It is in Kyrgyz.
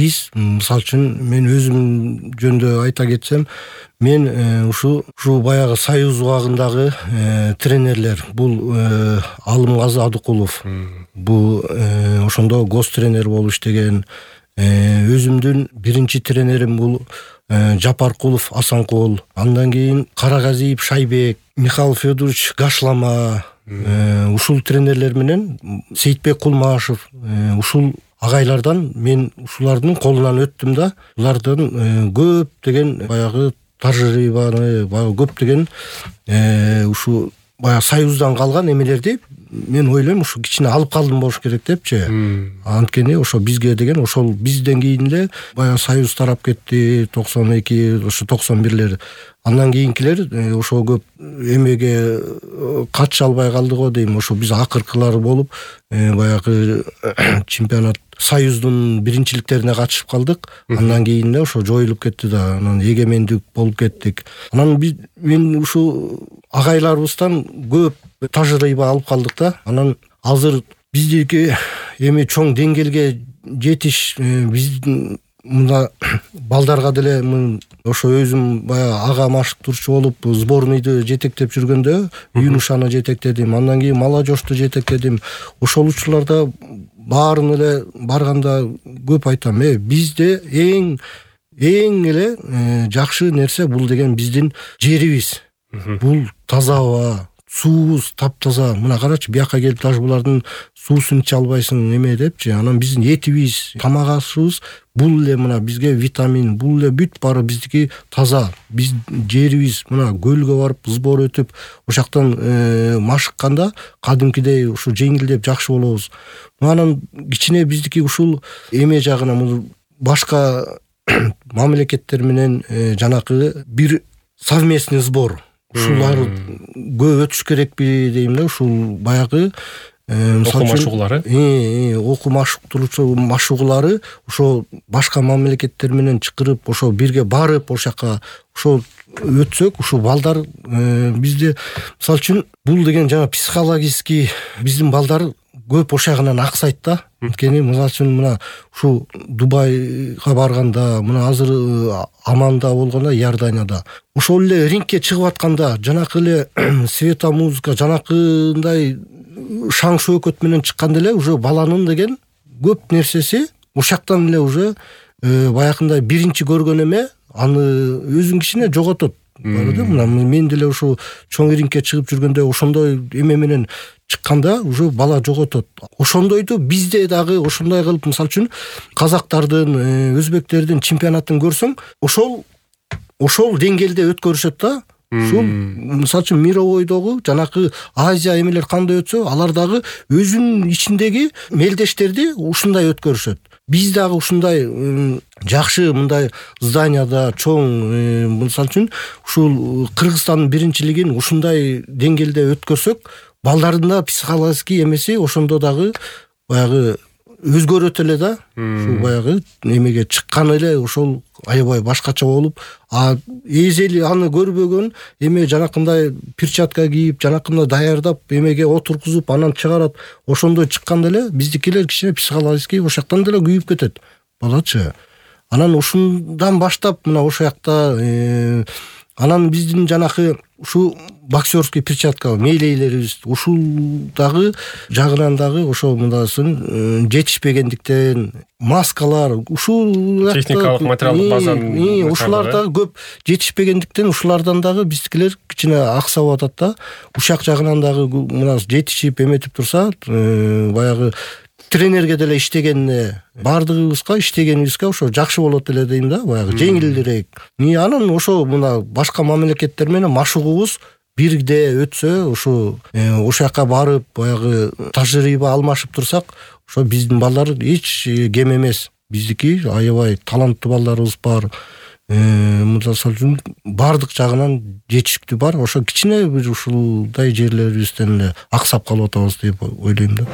биз мисалы үчүн мен өзүм жөнүндө айта кетсем, мен ушу баягы Союз убагындагы тренерлер, бул Алымгазы Адыкулов, бул ошондо гос тренер болуп иштеген, өзүмдүн биринчи тренерим бул Жапаркулов Асанкул, андан кийин Карагазиев Шайбек, Михаил Федорович Гашлама, ушул тренерлер менен Сейитбек Кулмашев, ушул агайлардан мен ушулардын колунан өттүм да, булардан көптөгөн баягы тажрыйбаны, көптөгөн ушу баягы Союздан калган эмелерди мен ойлойм ушу кичине алып калдым болуш керек депчи. Анткени ошо бизге деген ошол бизден кийин эле баягы Союз тарап кетти, 92, ошо 91лер. Андан кийинкилер ошо көп эмеге катыша албай калды го дейм. Ошо биз акыркылар болуп баягы чемпионат Союздун биринчиликтерине катышып калдык. Андан кийин эле ошо жоюлуп кетти да, анан эгемендик болуп кеттик. Анан мен ушу агайларыбыздан көп тажрыйба алып калдык да. Анан азыр биздики эми чоң деңгээлге жетиш, биздин мына балдарга деле ошо өзүм баягы ага машыктыруучу болуп сборныйды жетектеп жүргөндө юношаны жетектедим, андан кийин молодежьту жетектедим. Ошол учурларда баарын эле барганда көп айтам, бизде эң эле жакшы нерсе бул деген биздин жерибиз. Бул таза аба, суубуз таптаза. Мына карачы, бияка келип даже булардын суусун иче албайсың эме депчи. Анан биздин этибиз, тамак ашыбыз бул эле мына бизге витамин, бул эле бүт баары биздики таза. Биз жерибиз мына көлгө барып сбор өтүп, ошактан машыкканда кадимкидей ушу жеңилдеп жакшы болобуз. Анан кичине биздики ушул эме жагына башка мамлекеттер менен жанакы бир совместный сбор, ушулар көп өтүш керекпи дейм да. Ушул баягы окуу машыгуулары, окуу машыгуулары ошо башка мамлекеттер менен чакырып, ошо бирге барып, ошака ошо өтсөк, ушул балдар бизде мисалы үчүн бул деген жана психологический биздин балдар көп ошагынан аксайт да. Анткени мисалы үчүн мына ушу Дубайга барганда, мына азыр Аманда болгондо, Иорданияда ошол эле рингке чыгып атканда, жанакы эле света музыка, жанакындай шаң шөөкөт менен чыкканда эле уже баланын деген көп нерсеси ошактан эле уже баягындай биринчи көргөн эме аны өзүн кичине жоготот. Мына мен деле ошо чоң рингке чыгып жүргөндө ошондой эме менен чыкканда уже бала жоготот. Ошондойду бизде дагы ошондой кылып, мисалы үчүн казактардын, өзбектердин чемпионатын көрсөң, ошол деңгээлде өткөрүшөт да. Ушул мисалы үчүн мировойдогу жанакы Азия эмелер кандай өтсө, алар дагы өзүнүн ичиндеги мелдештерди ушундай өткөрүшөт. Биз дагы ушундай жакшы мындай зданияда чоң, мисалы үчүн ушул Кыргызстандын биринчилигин ушундай деңгээлде өткөрсөк, балдардын да психологический эмеси ошондо дагы баягы өзгөрөт эле да. Ушул баягы эмеге чыккан эле ошол аябай башкача болуп, эзели аны көрбөгөн эме жанакындай перчатка кийип, жанакындай даярдап эмеге отургузуп, анан чыгарат. Ошондой чыкканда эле биздикилер кичине психологический ошактан деле күйүп кетет балачы. Анан ушундан баштап мына ошол жакта анан биздин жанакы ушу боксерский перчатка мейлейлерибиз ушул дагы жагынан дагы ошо мындасын жетишпегендиктен, маскалар, ушул техникалык материалдык базанын ушулар дагы көп жетишпегендиктен ушулардан дагы биздикилер кичине аксап атат да. Ушак жагынан дагы мына жетишип эметип турса, баягы тренерге деле иштегенне баардыгыбызга иштегенибизге ошо жакшы болот эле дейм да, баягы жеңилирээк. Анан ошо мына башка мамлекеттер менен машыгуубуз бирде өтсө, ошо жака барып баягы тажрыйба алмашып турсак, ошо биздин балдар эч кем эмес. Биздики аябай таланттуу балдарыбыз бар. Мисалы үчүн баардык жагынан жетиштүү бар. Ошо кичине бир ушулдай жерлерибизден эле аксап калып атабыз деп ойлойм да.